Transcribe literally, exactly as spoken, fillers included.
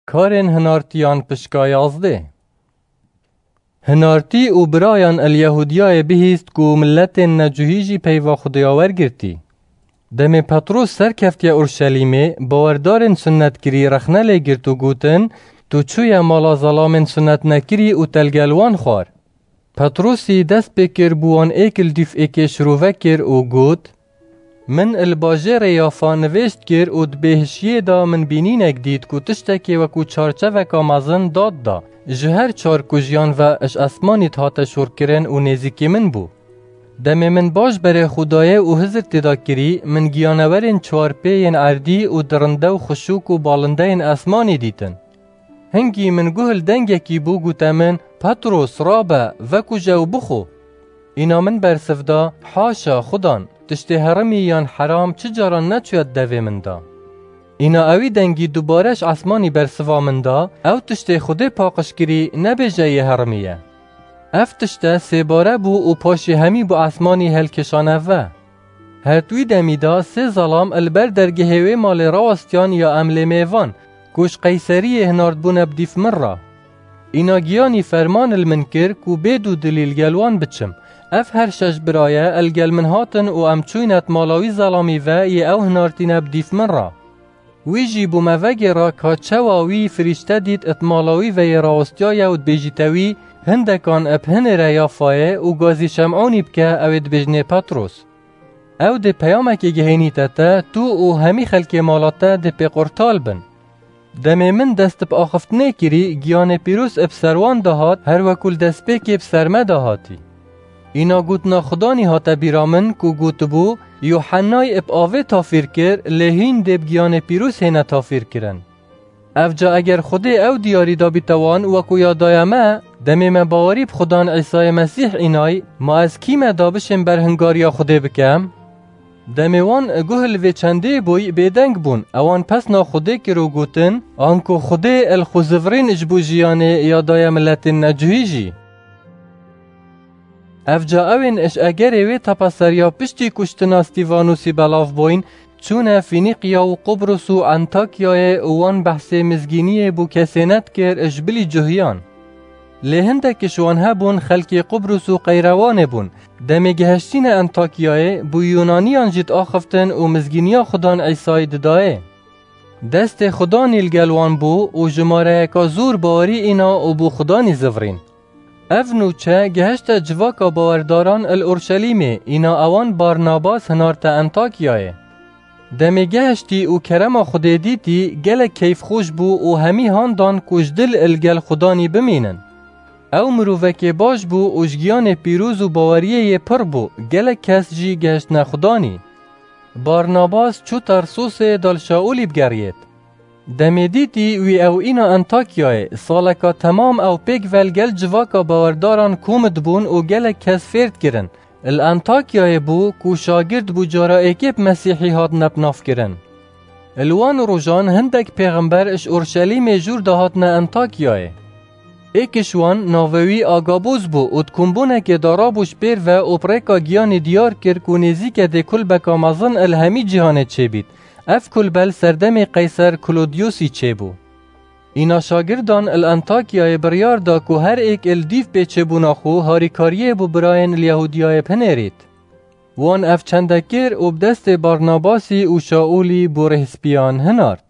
Karên hinartiyan pişka yazdê. Hinartî û birayan el Yehûdiyayê bihîst ku miletên necuhî jî peyva Xwedêya wergirtî. Demê Petros serkeftiye Urşelîmê, bawerdarên sunnetkirî rexne lê girt û gotin, Tu çûye mala zelamên sunnetnekirî û te li gel wan xwar. Petrosî dest pê kir bi wan êk li dîf êkê şirove kir û got, Min li bajêrê Yafa nivêjt kir û di bêhişiyê de min bînînek dît ku tiştekê wekû çarçeveka mezin dad da, ji her çar kujiyan ve ji esmanî dihate şorkirin û nêzîkî min bû. Demê min baş berê xwe dayê û hizir tê de kirî, min giyanewerên çar pê yên erdî û dirinde û xişûk û balindeyên esmanî dîtin. Hingî min guh li dengekî bû, gote min, Petros, rabe, vekuje û bixwe. Îna min bersiv da, Haşa, Xudan, tiştê herimî yan heram çi caran neçûye di devê min de. Îna ewî dengî dubare ji esmanî bersiva min da, Ew tiştê Xwedê paqij kirî, nebêje yê herimî ye. Ev tişte sêbare bû û paşê hemî bi esmanî helkêşane ve. Her di wî demî de sê zelam li ber dergehê wê malê rawastiyan ya em lê mêvan, ku ji Qeyseriyê hinardbûne bi dîf min re. Îna giyanî ferman li min kir ku bê dûdilî li gel wan biçim. Ev her şeş biraye li gel min hatin û em çûyne di mala wî zelamî ve yê ew hinartîne bi dîf min re. Wî jî bû me vegêra ka çawa wî firîşte dît di mala wî ve yê rawastiyaye û dibêjîte wî, Hindekan bi hinê re Yafayê û gazî Şem'ûnî bike, ew ê dibêjinê Petros. Ew dê peyamekê gihênîte te, tu û hemî xelkê mala te dê pê qurtal bin. Demê min dest bi axiftinê kirî, giyanê pîroz bi ser wan de hat, her wekû li destpêkê bi ser me de hatî. Îna gotina Xudanî hate bîra min ku gotibû, Yuhennay bi avê tafîr kir, lê hîn dê bi giyanê pîroz hêne tafîr kirin. Evca eger Xwedê ew diyarî dabîte wan wekû ya daye me, demê me bawerî bi Xudan Îsayê Mesîh înay, ma ez kî me da bişêm ber hingariya Xwedê bikem? Demê wan guh li vê çendê bûy bêdeng bûn, ewan pesna Xwedê kir û gotin, Anku Xwedê el xwe zivirîn ji bo jiyanê ya daye miletên necuhî jî. Evca ewên ji egerê wê tepeseriya piştî kuştina Stîvanûsî belav bûyn, çûne Fînîqya û Qubrus û Entakyayê û wan behsê mizgîniyê bû kesê nedikir ji bilî cuhiyan. Lê hindek ji wan hebûn xelkê Qubrus û Qeyrewanê bûn. Demê gihiştîne Entakyayê, bû Yûnaniyan jî diaxiftin û mizgîniya Xudan Îsayî didayê. Destê Xudanî li gel wan bû û jimareyeka zor bawerî îna û bû Xudanî zivirîn. Ev nûçe gihişte civaka bawerdaran il Urşelîmê, îna ewan Barnabas hinarte Entakyayê. Demê gihiştî û kerema Xwedê dîtî, gelek keyfxweş bû û hemî han dan ku ji dil il gel Xudanî bimînin. Ew mirovekê baş bû û ji giyanê pîroz û baweriyê yê pir bû, gelek kes jî gihiştine Xudanî. Barnabas çû Tarsosê da li Şaûlî bigeriyêt. Demê dîtî wî ew îna Entakyayê, saleka temam ew pêk ve li gel civaka bawerdaran kom dibûn û gelek kes fêr dikirin. Li Entakyayê bû ku şagird bû cara êkê bi Mesîhî hatine binavkirin. Li wan rojan hindek pêxember ji Urşelîmê jûr de hatine Entakyayê. Êk ji wan navê wî Agabûs bû û di kombûnekê de rabû ji pêr ve û bi rêka giyanê diyar kir ku nêzîke dê kulbeka mezin li hemî cîhanê çêbît. Ev kulbe li serdemê Qeyser Klodiyosî çêbû. Îna şagirdan li Entakyayê biryar da ku her êk li dîv pê çêbûna xwe harîkariyê bo birayên li Yehûdiyayê bihinêrît. Wan ev çende kir û bi destê Barnabasî û Şaûlî bo rêhspiyan hinart.